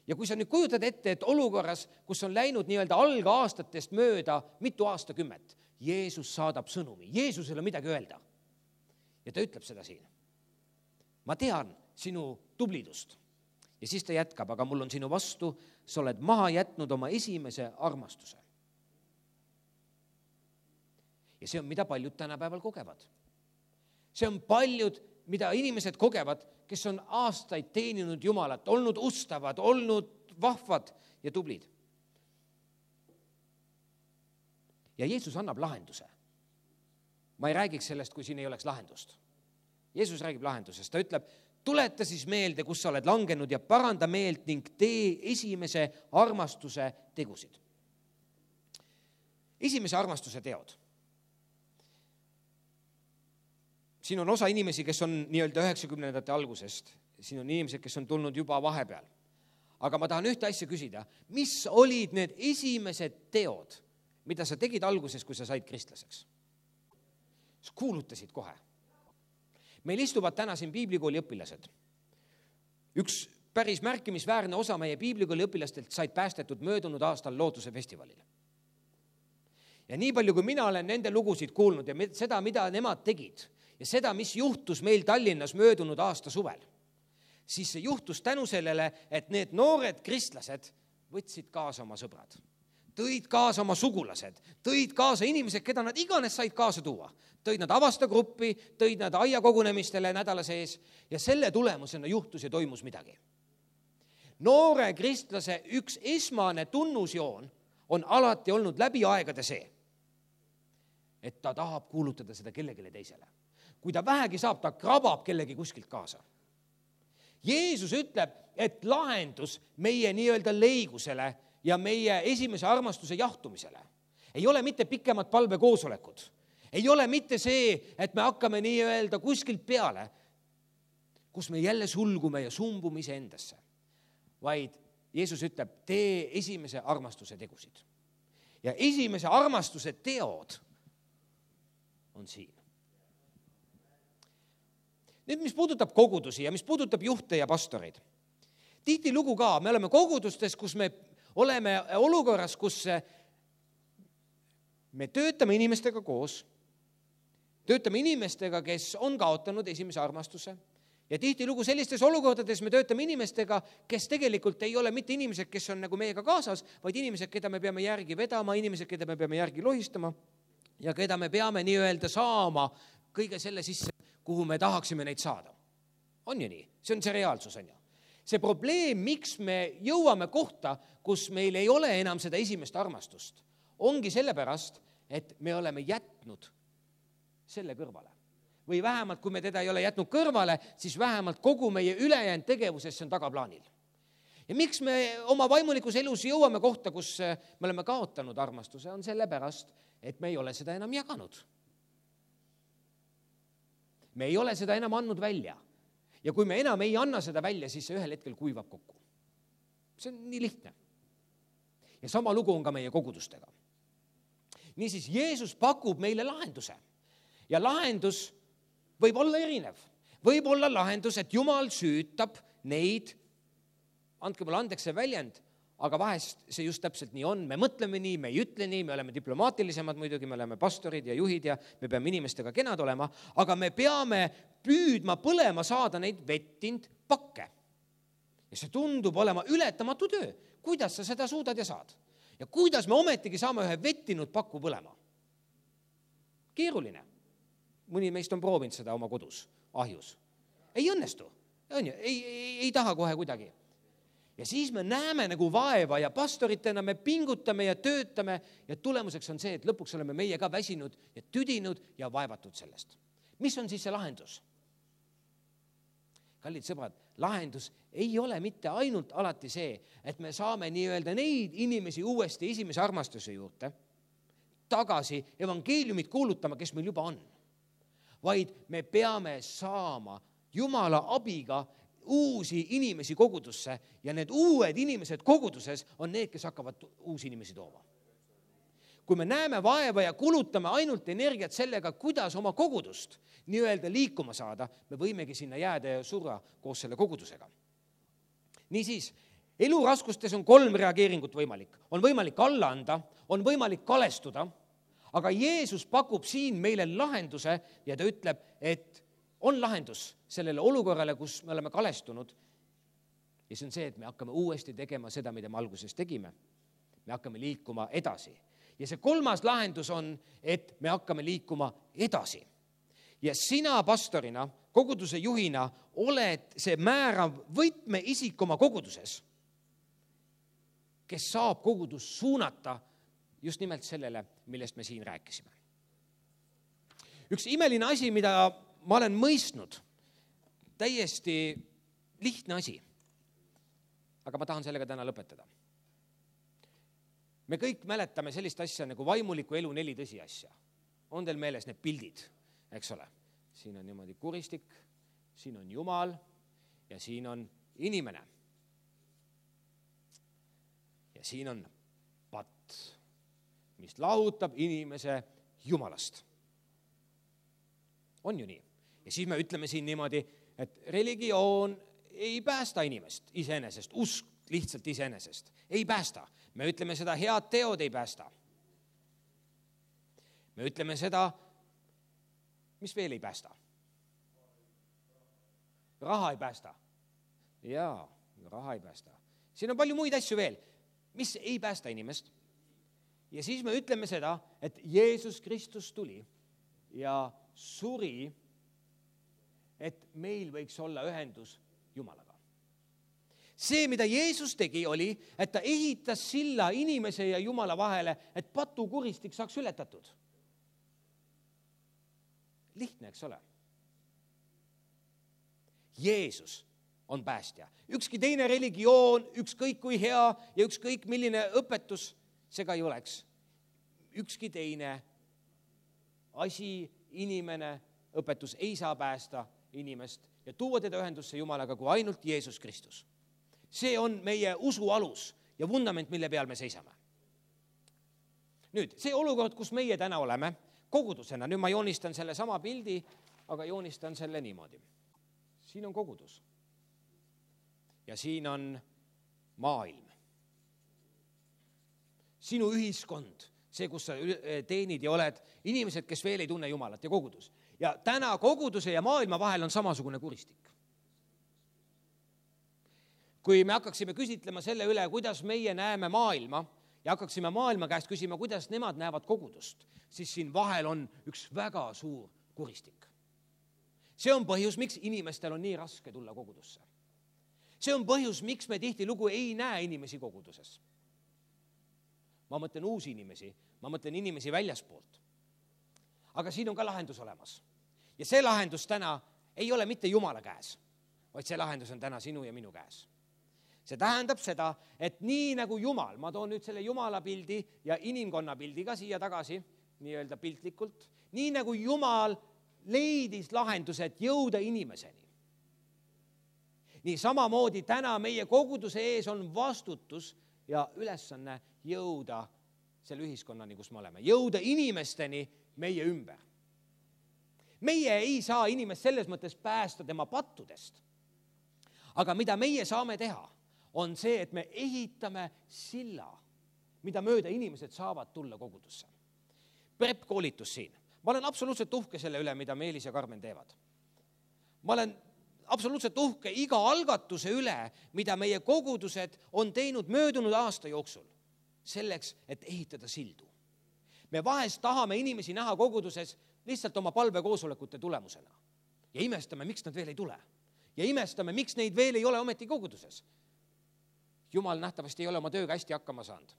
Ja kui sa nüüd kujutad ette, et olukorras, kus on läinud nii-öelda algaastatest mööda mitu aastakümmet, Jeesus saadab sõnumi, Jeesusel on midagi öelda. Ja ta ütleb seda siin. Ma tean sinu tublidust. Ja siis ta jätkab, aga mul on sinu vastu, sa oled maha jätnud oma esimese armastuse. Ja see on, mida paljud tänapäeval kogevad. See on paljud, mida inimesed kogevad, kes on aastaid teeninud Jumalat, olnud ustavad, olnud vahvad ja tublid. Ja Jeesus annab lahenduse. Ma ei räägiks sellest, kui siin ei oleks lahendust. Jeesus räägib lahendusest. Ta ütleb, tuleta siis meelde, kus sa oled langenud ja paranda meelt ning tee esimese armastuse tegusid. Esimese armastuse teod. Siin on osa inimesi, kes on nii-öelda üheksakümnendate algusest. Siin on inimesed, kes on tulnud juba vahepeal. Aga ma tahan ühte asja küsida. Mis olid need esimesed teod, mida sa tegid alguses, kui sa said kristlaseks? Sa kuulutasid kohe. Meil istuvad täna siin piiblikooli õpilased. Üks päris märkimisväärne osa meie piiblikooli õpilastelt said päästetud möödunud aastal Lootuse festivalile. Ja nii palju, kui mina olen nende lugusid kuulnud ja seda, mida nemad tegid ja seda, mis juhtus meil Tallinnas möödunud aasta suvel, siis see juhtus tänu sellele, et need noored kristlased võtsid kaasa oma sõbrad. Tõid kaasa oma sugulased, tõid kaasa inimesed, keda nad iganes said kaasa tuua. Tõid nad avastagruppi, tõid nad aiakogunemistele nädala sees ja selle tulemusena juhtus ja toimus midagi. Noore kristlase üks esmane tunnusjoon on alati olnud läbi aegade see, et ta tahab kuulutada seda kellegile teisele. Kui ta vähegi saab, ta krabab kellegi kuskilt kaasa. Jeesus ütleb, et lahendus meie nii-öelda leigusele ja meie esimese armastuse jahtumisele ei ole mitte pikemad palvekoosolekud. Ei ole mitte see, et me hakkame nii-öelda kuskilt peale, kus me jälle sulgume ja sumbume ise endasse. Vaid Jeesus ütleb, tee esimese armastuse tegusid. Ja esimese armastuse teod on siin. Nüüd, mis puudutab kogudusi ja mis puudutab juhte ja pastoreid. Tihti lugu ka, me oleme kogudustes, kus me oleme olukorras, kus me töötame inimestega koos, töötame inimestega, kes on kaotanud esimese armastuse ja tihti lugu sellistes olukordades me töötame inimestega, kes tegelikult ei ole mitte inimesed, kes on nagu meiega kaasas, vaid inimesed, keda me peame järgi vedama, inimesed, keda me peame järgi lohistama ja keda me peame nii öelda saama kõige selle sisse, kuhu me tahaksime neid saada. on ju nii? See on see reaalsus, on ju. See probleem, miks me jõuame kohta, kus meil ei ole enam seda esimest armastust, ongi sellepärast, et me oleme jätnud selle kõrvale. Või vähemalt, kui me teda ei ole jätnud kõrvale, siis vähemalt kogu meie ülejäänud tegevuses see on tagaplaanil. Ja miks me oma vaimulikus elus jõuame kohta, kus me oleme kaotanud armastuse, on sellepärast, et me ei ole seda enam jaganud. Me ei ole seda enam andnud välja. Ja kui me enam ei anna seda välja, siis see ühel hetkel kuivab kokku. See on nii lihtne. Ja sama lugu on ka meie kogudustega. Niisiis, Jeesus pakub meile lahenduse. Ja lahendus võib olla erinev. Võib olla lahendus, et Jumal süütab neid, andke mulle andeks see väljend, aga vahest see just täpselt nii on. Me mõtleme nii, me ei ütle nii, me oleme diplomaatilisemad muidugi, me oleme pastorid ja juhid ja me peame inimestega kenad olema, aga me peame püüdma põlema saada neid vettind pakke. Ja see tundub olema ületamatu töö. Kuidas sa seda suudad ja saad? Ja kuidas me ometigi saame ühe vettinud pakku põlema? Keeruline. Mõni meist on proovinud seda oma kodus, ahjus. Ei õnnestu. On ju? Ei, ei, ei taha kohe kuidagi. Ja siis me näeme nagu vaeva ja pastoritena me pingutame ja töötame ja tulemuseks on see, et lõpuks oleme meie ka väsinud ja tüdinud ja vaevatud sellest. Mis on siis see lahendus? Kallid sõbrad, lahendus ei ole mitte ainult alati see, et me saame nii-öelda neid inimesi uuesti esimese armastuse juurde tagasi evangeeliumit kuulutama, kes meil juba on. Vaid me peame saama Jumala abiga uusi inimesi kogudusse ja need uued inimesed koguduses on need, kes hakkavad uusi inimesi tooma. Kui me näeme vaeva ja kulutame ainult energiat sellega, kuidas oma kogudust nii-öelda liikuma saada, me võimegi sinna jääda ja surra koos selle kogudusega. Niisiis, eluraskustes on kolm reageeringut võimalik. On võimalik alla anda, on võimalik kalestuda, aga Jeesus pakub siin meile lahenduse ja ta ütleb, et on lahendus sellele olukorrale, kus me oleme kalestunud. Ja see on see, et me hakkame uuesti tegema seda, mida me alguses tegime. Me hakkame liikuma edasi. Ja see kolmas lahendus on, et me hakkame liikuma edasi. Ja sina pastorina, koguduse juhina, oled see määrav võtme isik oma koguduses, kes saab kogudus suunata just nimelt sellele, millest me siin rääkisime. Üks imeline asi, mida ma olen mõistnud, täiesti lihtne asi, aga ma tahan sellega täna lõpetada. Me kõik mäletame sellist asja nagu vaimuliku elu neli tõsiasja. On teil meeles need pildid, eks ole? Siin on niimoodi kuristik, siin on Jumal ja siin on inimene. Ja siin on patt, mis lahutab inimese Jumalast. On ju nii? Ja siis me ütleme siin niimoodi, et religioon ei päästa inimest iseenesest, usk lihtsalt iseenesest. Ei päästa. Me ütleme seda, head teod ei päästa. Me ütleme seda, mis veel ei päästa. Raha ei päästa. Jaa, raha ei päästa. Siin on palju muid asju veel, mis ei päästa inimest. Ja siis me ütleme seda, et Jeesus Kristus tuli ja suri, et meil võiks olla ühendus Jumalaga. See, mida Jeesus tegi, oli, et ta ehitas silla inimese ja Jumala vahele, et patukuristik saaks ületatud. Lihtne, eks ole? Jeesus on päästja. Ükski teine religioon, ükskõik kui hea ja ükskõik milline õpetus, see ka ei oleks. Ükski teine asi, inimene, õpetus ei saa päästa inimest ja tuua teda ühendusse Jumalaga kui ainult Jeesus Kristus. See on meie usu alus ja vundament, mille peal me seisame. Nüüd, see olukord, kus meie täna oleme, kogudusena, nüüd ma joonistan selle sama pildi, aga joonistan selle niimoodi. Siin on kogudus ja siin on maailm. Sinu ühiskond, see, kus sa teenid ja oled, inimesed, kes veel ei tunne Jumalat ja kogudus. Ja täna koguduse ja maailma vahel on samasugune kuristik. Kui me hakkaksime küsitlema selle üle, kuidas meie näeme maailma ja hakkaksime maailma käest küsima, kuidas nemad näevad kogudust, siis siin vahel on üks väga suur kuristik. see on põhjus, miks inimestel on nii raske tulla kogudusse. See on põhjus, miks me tihtilugu ei näe inimesi koguduses. Ma mõtlen uusi inimesi, ma mõtlen inimesi väljaspoolt. Aga siin on ka lahendus olemas. Ja see lahendus täna ei ole mitte Jumala käes, vaid see lahendus on täna sinu ja minu käes. See tähendab seda, et nii nagu Jumal, ma toon nüüd selle Jumala pildi ja inimkonna pildi ka siia tagasi, nii-öelda piltlikult, nii nagu Jumal leidis lahendused jõuda inimeseni. Nii samamoodi täna meie koguduse ees on vastutus ja ülesanne jõuda selle ühiskonnani, kus me oleme. Jõuda inimesteni meie ümber. Meie ei saa inimest selles mõttes päästa tema pattudest. Aga mida meie saame teha, on see, et me ehitame silla, mida mööda inimesed saavad tulla kogudusse. Prep-koolitus siin. Ma olen absoluutselt uhke selle üle, mida Meelis ja Karmen teevad. Ma olen absoluutselt uhke iga algatuse üle, mida meie kogudused on teinud möödunud aasta jooksul, selleks, et ehitada sildu. Me vahest tahame inimesi näha koguduses lihtsalt oma palvekoosolekute tulemusena. Ja imestame, miks nad veel ei tule. Ja imestame, miks neid veel ei ole ometi koguduses. Jumal nähtavasti ei ole oma tööga hästi hakkama saanud.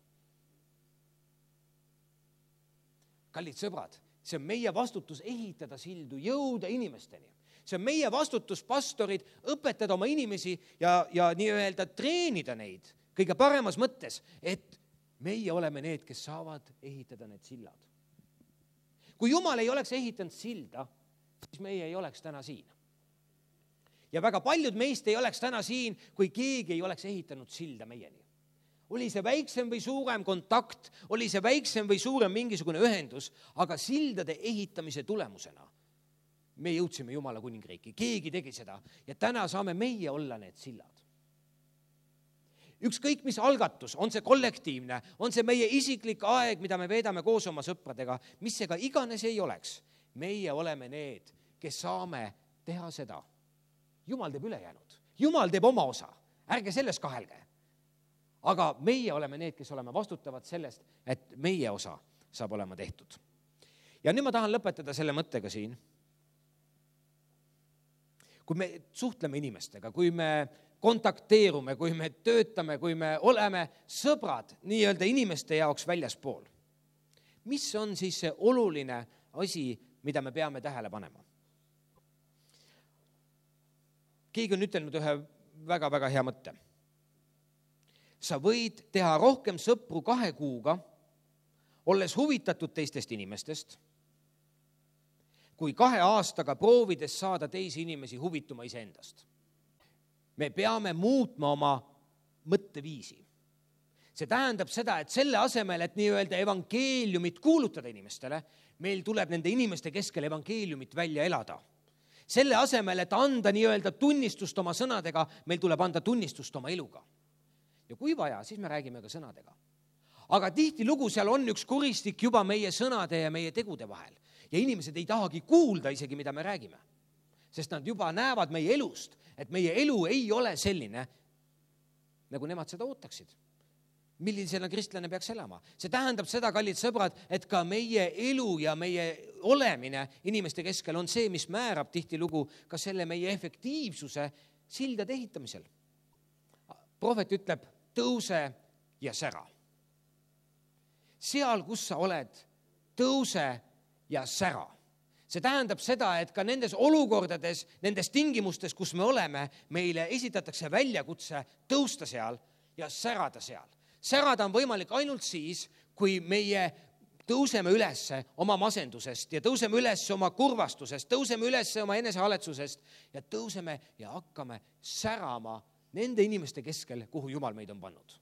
Kallid sõbrad, see on meie vastutus ehitada sildu, jõuda inimesteni. See on meie vastutus, pastorid, õpetada oma inimesi ja, ja nii-öelda treenida neid kõige paremas mõttes, et meie oleme need, kes saavad ehitada need sillad. Kui Jumal ei oleks ehitanud silda, siis meie ei oleks täna siin. Ja väga paljud meist ei oleks täna siin, kui keegi ei oleks ehitanud silda meieni. Oli see väiksem või suurem kontakt, oli see väiksem või suurem mingisugune ühendus, aga sildade ehitamise tulemusena me jõudsime Jumala kuningriiki. Keegi tegi seda ja täna saame meie olla need sillad. Ükskõik mis algatus, on see kollektiivne, on see meie isiklik aeg, mida me veedame koos oma sõpradega, mis see ka iganes ei oleks. Meie oleme need, kes saame teha seda. Jumal teeb ülejäänud. Jumal teeb oma osa. Ärge selles kahelge. Aga meie oleme need, kes oleme vastutavad sellest, et meie osa saab olema tehtud. Ja nüüd ma tahan lõpetada selle mõttega siin. Kui me suhtleme inimestega, kui me kontakteerume, kui me töötame, kui me oleme sõbrad nii-öelda inimeste jaoks väljaspool. Mis on siis see oluline asi, mida me peame tähele panema? Keegi on ütelnud ühe väga-väga hea mõtte. Sa võid teha rohkem sõpru kahe kuuga, olles huvitatud teistest inimestest, kui kahe aastaga proovides saada teisi inimesi huvituma iseendast. Me peame muutma oma mõtteviisi. See tähendab seda, et selle asemel, et nii-öelda evangeeliumit kuulutada inimestele, meil tuleb nende inimeste keskel evangeeliumit välja elada. Selle asemel, et anda nii-öelda tunnistust oma sõnadega, meil tuleb anda tunnistust oma eluga. Ja kui vaja, siis me räägime ka sõnadega. Aga tihti lugu seal on üks kuristik juba meie sõnade ja meie tegude vahel. Ja inimesed ei tahagi kuulda isegi, mida me räägime. Sest nad juba näevad meie elust, et meie elu ei ole selline, nagu nemad seda ootaksid. Millisena kristlane peaks elama? See tähendab seda, kallid sõbrad, et ka meie elu ja meie olemine inimeste keskel on see, mis määrab tihti lugu ka selle meie efektiivsuse sildade ehitamisel. Prohvet ütleb, tõuse ja sära. Seal, kus sa oled, tõuse ja sära. See tähendab seda, et ka nendes olukordades, nendes tingimustes, kus me oleme, meile esitatakse väljakutse tõusta seal ja särada seal. Särada on võimalik ainult siis, kui meie tõuseme üles oma masendusest ja tõuseme üles oma kurvastusest, tõuseme üles oma enesehaletsusest ja tõuseme ja hakkame särama nende inimeste keskel, kuhu Jumal meid on pannud.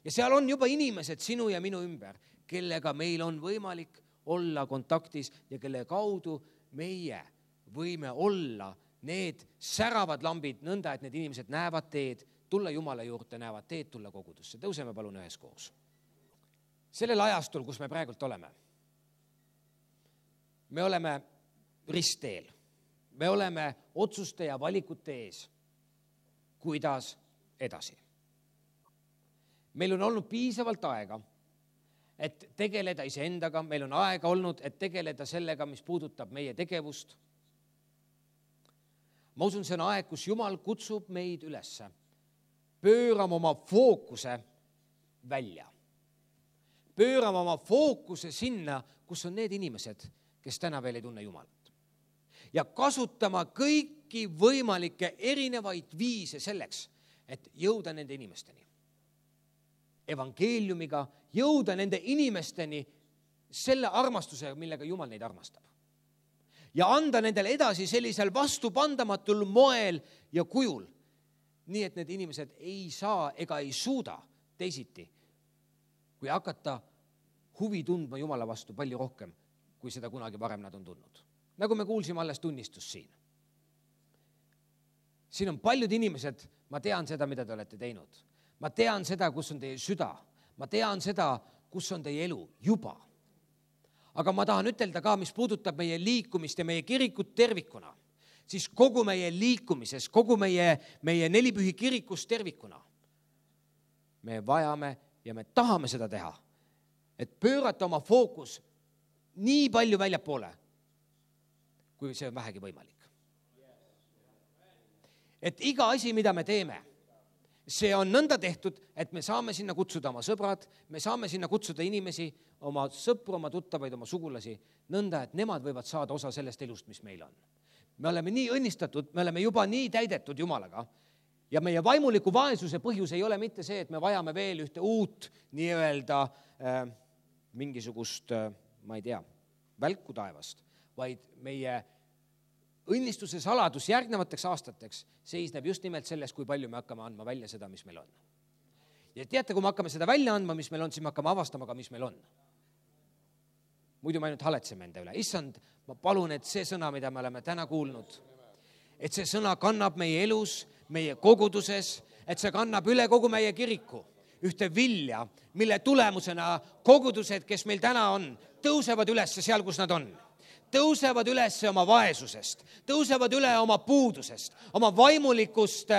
Ja seal on juba inimesed sinu ja minu ümber, kellega meil on võimalik olla kontaktis ja kelle kaudu meie võime olla need säravad lambid nõnda, et need inimesed näevad teed, tulla Jumala juurde, näevad teed, tulla kogudusse. Tõuseme palun üheskoos. Sellel ajastul, kus me praegult oleme, me oleme ristteel. Me oleme otsuste ja valikute ees, kuidas edasi. Meil on olnud piisavalt aega, et tegeleda iseendaga, meil on aega olnud, et tegeleda sellega, mis puudutab meie tegevust. ma usun, see on aeg, kus Jumal kutsub meid ülesse. Pöörame oma fookuse välja. Pöörame oma fookuse sinna, kus on need inimesed, kes täna veel ei tunne Jumalat. Ja kasutama kõiki võimalikke erinevaid viise selleks, et jõuda nende inimesteni. Evangeeliumiga jõuda nende inimesteni selle armastusega, millega Jumal neid armastab. Ja anda nendele edasi sellisel vastupandamatul moel ja kujul, nii et need inimesed ei saa ega ei suuda teisiti, kui hakata huvi tundma Jumala vastu palju rohkem, kui seda kunagi varem nad on tundnud. Nagu me kuulsime alles tunnistus siin. Siin on paljud inimesed, ma tean seda, mida te olete teinud. Ma tean seda, kus on teie süda. Ma tean seda, kus on teie elu juba. Aga ma tahan ütelda ka, mis puudutab meie liikumist ja meie kirikut tervikuna, siis kogu meie liikumises, kogu meie, meie nelipühi kirikus tervikuna me vajame ja me tahame seda teha, et pöörata oma fookus nii palju väljapoole, kui see on vähegi võimalik. Et iga asi, mida me teeme, see on nõnda tehtud, et me saame sinna kutsuda oma sõbrad, me saame sinna kutsuda inimesi, oma sõpru, oma tuttavaid, oma sugulasi, nõnda, et nemad võivad saada osa sellest elust, mis meil on. Me oleme nii õnnistatud, me oleme juba nii täidetud Jumalaga ja meie vaimuliku vaesuse põhjus ei ole mitte see, et me vajame veel ühte uut nii-öelda äh, mingisugust, äh, ma ei tea, välku taevast, vaid meie õnnistuse saladus järgnevateks aastateks seisneb just nimelt selles, kui palju me hakkame andma välja seda, mis meil on. Ja teate, kui me hakkame seda välja andma, mis meil on, siis me hakkame avastama ka, mis meil on. Muidu me ainult haletseme enda üle. Issand, ma palun, et see sõna, mida me oleme täna kuulnud, et see sõna kannab meie elus, meie koguduses, et see kannab üle kogu meie kiriku ühte vilja, mille tulemusena kogudused, kes meil täna on, tõusevad üles seal, kus nad on. Tõusevad üles oma vaesusest, tõusevad üle oma puudusest, oma vaimulikust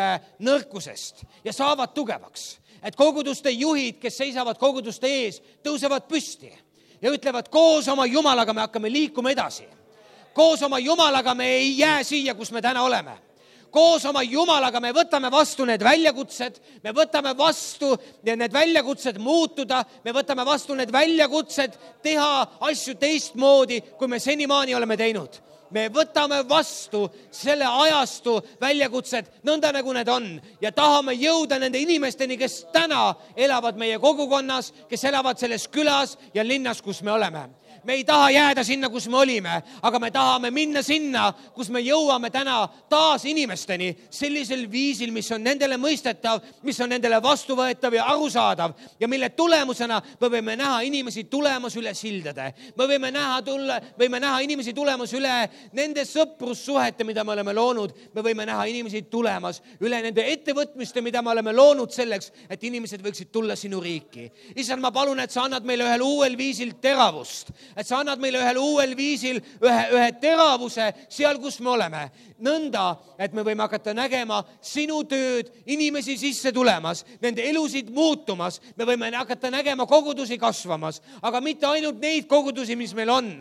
nõrkusest ja saavad tugevaks. Et koguduste juhid, kes seisavad koguduste ees, tõusevad püsti ja ütlevad, koos oma Jumalaga me hakkame liikuma edasi. Koos oma Jumalaga me ei jää siia, kus me täna oleme. Koos oma Jumalaga me võtame vastu need väljakutsed, me võtame vastu need väljakutsed muutuda, me võtame vastu need väljakutsed teha asju teistmoodi, kui me senimaani oleme teinud. Me võtame vastu selle ajastu väljakutsed nõnda, nagu need on ja tahame jõuda nende inimesteni, kes täna elavad meie kogukonnas, kes elavad selles külas ja linnas, kus me oleme. Me ei taha jääda sinna, kus me olime, aga me tahame minna sinna, kus me jõuame täna taas inimesteni sellisel viisil, mis on nendele mõistetav, mis on nendele vastuvõetav ja arusaadav ja mille tulemusena me võime näha inimesi tulemas üle sildade. Me võime näha, tulla, võime näha inimesi tulemas üle nende sõprussuhete, mida me oleme loonud. Me võime näha inimesi tulemas üle nende ettevõtmiste, mida me oleme loonud selleks, et inimesed võiksid tulla sinu riiki. Issand, ma palun, et sa annad meile ühel uuel viisil teravust. Et sa annad meile ühel uuel viisil ühe, ühe teravuse seal, kus me oleme. Nõnda, et me võime hakata nägema sinu tööd, inimesi sisse tulemas, nende elusid muutumas. Me võime hakata nägema kogudusi kasvamas, aga mitte ainult neid kogudusi, mis meil on,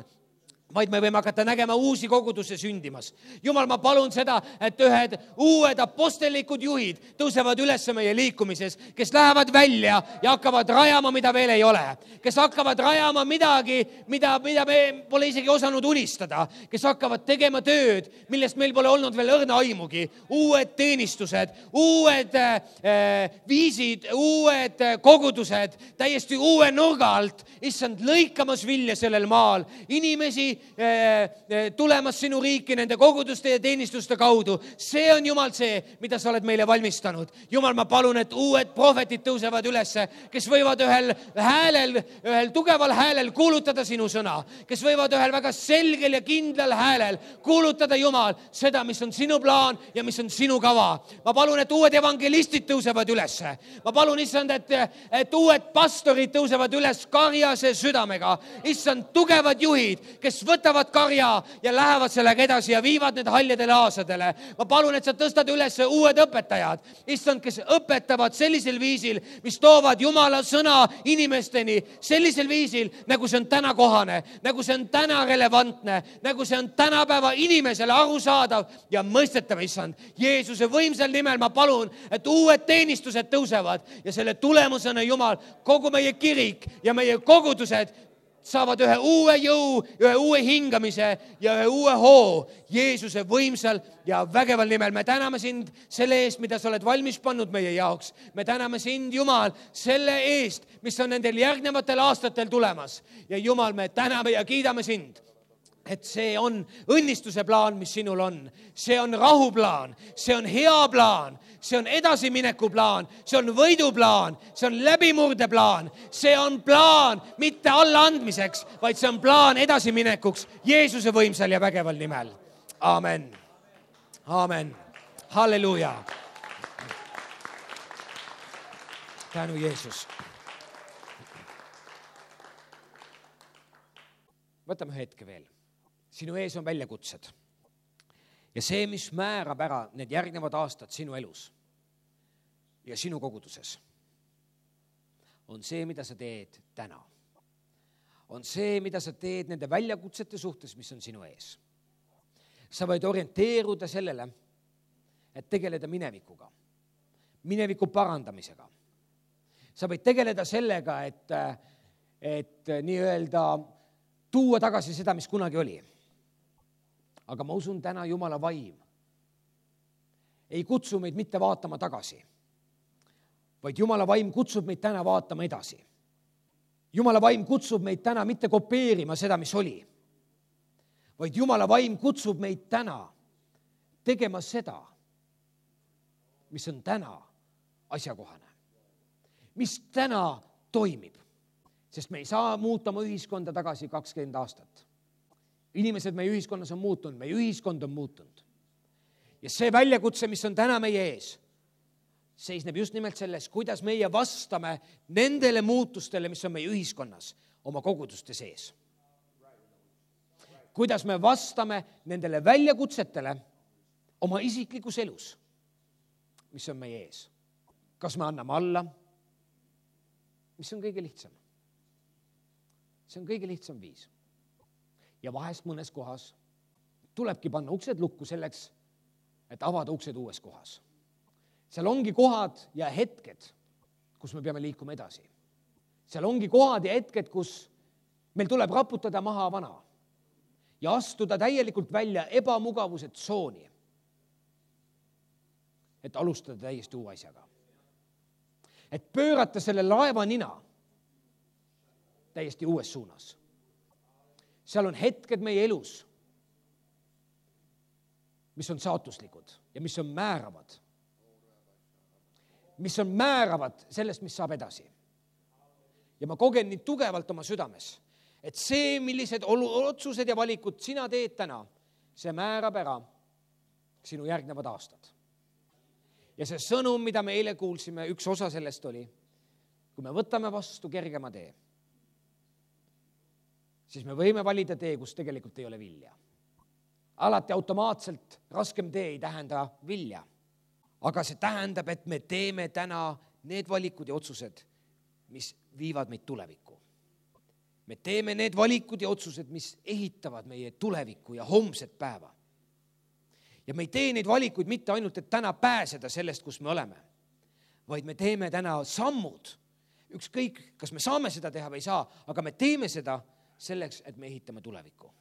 vaid me võime hakata nägema uusi koguduse sündimas. Jumal, ma palun seda, et ühed uued apostelikud juhid tõusevad üles meie liikumises, kes lähevad välja ja hakkavad rajama, mida veel ei ole. Kes hakkavad rajama midagi, mida, mida me pole isegi osanud unistada. Kes hakkavad tegema tööd, millest meil pole olnud veel õrna aimugi. Uued teenistused, uued äh, viisid, uued kogudused, täiesti uue nurga alt. Issand, lõikamas vilja sellel maal. Inimesi tulemas sinu riiki nende koguduste ja teenistuste kaudu. See on Jumal see, mida sa oled meile valmistanud. Jumal, ma palun, et uued prohvetid tõusevad ülesse, kes võivad ühel häälel, ühel tugeval häälel kuulutada sinu sõna, kes võivad ühel väga selgel ja kindlal häälel kuulutada, Jumal, seda, mis on sinu plaan ja mis on sinu kava. Ma palun, et uued evangelistid tõusevad ülesse. Ma palun, issand, et, et uued pastorid tõusevad üles karjase südamega. Issand, tugevad juhid, kes võtavad karja ja lähevad sellega edasi ja viivad need haljadele aasadele. Ma palun, et sa tõstad üles uued õpetajad, issand, kes õpetavad sellisel viisil, mis toovad Jumala sõna inimesteni sellisel viisil, nagu see on täna kohane, nagu see on täna relevantne, nagu see on tänapäeva inimesele arusaadav ja mõistetav, issand. Jeesuse võimsal nimel ma palun, et uued teenistused tõusevad ja selle tulemusena, Jumal, kogu meie kirik ja meie kogudused saavad ühe uue jõu, ühe uue hingamise ja ühe uue hoo Jeesuse võimsal ja vägeval nimel. Me täname sind selle eest, mida sa oled valmis pannud meie jaoks. Me täname sind, Jumal, selle eest, mis on nendel järgnevatel aastatel tulemas. Ja Jumal, me täname ja kiidame sind, et see on õnnistuse plaan, mis sinul on. See on rahuplaan, see on hea plaan, see on edasimineku plaan, see on võiduplaan, see on läbimurdeplaan, see on plaan mitte allaandmiseks, vaid see on plaan edasiminekuks Jeesuse võimsal ja vägeval nimel. Amen. Amen. Halleluuja. Tänu Jeesus. Võtame hetke veel. Sinu ees on väljakutsed. Ja see, mis määrab ära need järgnevad aastad sinu elus ja sinu koguduses, on see, mida sa teed täna. On see, mida sa teed nende väljakutsete suhtes, mis on sinu ees. Sa võid orienteeruda sellele, et tegeleda minevikuga, mineviku parandamisega. Sa võid tegeleda sellega, et, et nii-öelda tuua tagasi seda, mis kunagi oli. Aga ma usun, täna Jumala vaim ei kutsu meid mitte vaatama tagasi, vaid Jumala vaim kutsub meid täna vaatama edasi. Jumala vaim kutsub meid täna mitte kopeerima seda, mis oli, vaid Jumala vaim kutsub meid täna tegema seda, mis on täna asjakohane, mis täna toimib, sest me ei saa muuta oma ühiskonda tagasi kakskümmend aastat. Inimesed meie ühiskonnas on muutunud, meie ühiskond on muutunud. Ja see väljakutse, mis on täna meie ees, seisneb just nimelt selles, kuidas meie vastame nendele muutustele, mis on meie ühiskonnas oma koguduste sees. Kuidas me vastame nendele väljakutsetele oma isiklikus elus, mis on meie ees. Kas me anname alla, mis on kõige lihtsam? See on kõige lihtsam viis. Ja vahest mõnes kohas tulebki panna uksed lukku selleks, et avada uksed uues kohas. Seal ongi kohad ja hetked, kus me peame liikuma edasi. Seal ongi kohad ja hetked, kus meil tuleb raputada maha vana ja astuda täielikult välja ebamugavuse tsooni, et alustada täiesti uue asjaga. Et pöörata selle laeva nina täiesti uues suunas. Seal on hetked meie elus, mis on saatuslikud ja mis on määravad. Mis on määravad sellest, mis saab edasi. Ja ma kogen nii tugevalt oma südames, et see, millised otsused ja valikud sina teed täna, see määrab ära sinu järgnevad aastad. Ja see sõnum, mida me eile kuulsime, üks osa sellest oli, kui me võtame vastu kergema tee, siis me võime valida tee, kus tegelikult ei ole vilja. Alati automaatselt raskem tee ei tähenda vilja. Aga see tähendab, et me teeme täna need valikud ja otsused, mis viivad meid tulevikku. Me teeme need valikud ja otsused, mis ehitavad meie tulevikku ja homset päeva. Ja me ei tee neid valikuid mitte ainult, et täna pääseda sellest, kus me oleme, vaid me teeme täna sammud. Ükskõik, kas me saame seda teha või ei saa, aga me teeme seda selleks, et me ehitame tulevikku.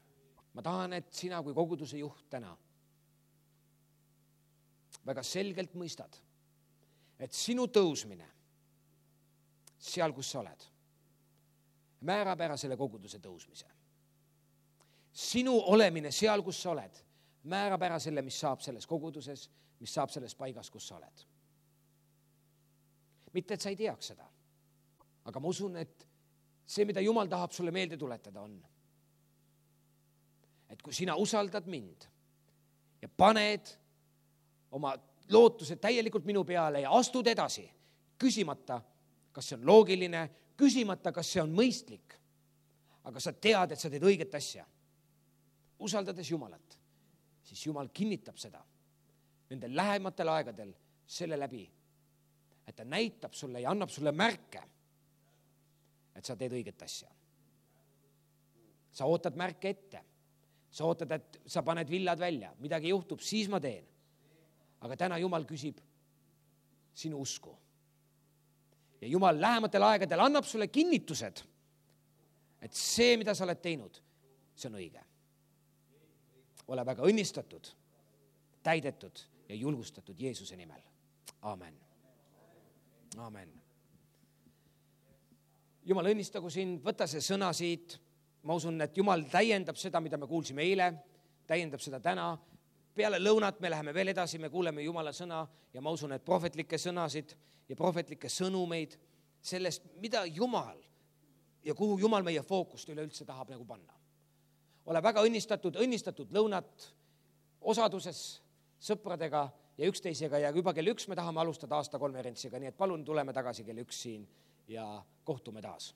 Ma tahan, et sina kui koguduse juht täna väga selgelt mõistad, et sinu tõusmine seal, kus sa oled, määrab ära selle koguduse tõusmise. Sinu olemine seal, kus sa oled, määrab ära selle, mis saab selles koguduses, mis saab selles paigas, kus sa oled. Mitte, et sa ei teaks seda, aga ma usun, et see, mida Jumal tahab sulle meelde tuletada, on, et kui sina usaldad mind ja paned oma lootused täielikult minu peale ja astud edasi, küsimata, kas see on loogiline, küsimata, kas see on mõistlik, aga sa tead, et sa teed õiget asja, usaldades Jumalat, siis Jumal kinnitab seda nendel lähematel aegadel selle läbi, et ta näitab sulle ja annab sulle märke, et sa teed õiget asja. Sa ootad märke ette. Sa ootad, et sa paned villad välja, midagi juhtub, siis ma teen. Aga täna Jumal küsib sinu usku. Ja Jumal lähematel aegadel annab sulle kinnitused, et see, mida sa oled teinud, see on õige. Ole väga õnnistatud, täidetud ja julgustatud Jeesuse nimel. Amen. Amen. Jumal õnnistagu sind, võta see sõna siit. Ma usun, et Jumal täiendab seda, mida me kuulsime eile, täiendab seda täna. Peale lõunat me läheme veel edasi, me kuuleme Jumala sõna ja ma usun, et prohvetlikke sõnasid ja prohvetlikke sõnumeid sellest, mida Jumal ja kuhu Jumal meie fookust üleüldse tahab nagu panna. Ole väga õnnistatud, õnnistatud lõunat osaduses sõpradega ja üksteisega ja juba kell üks me tahame alustada aasta konverentsiga, nii et palun tuleme tagasi kell üks siin ja kohtume taas.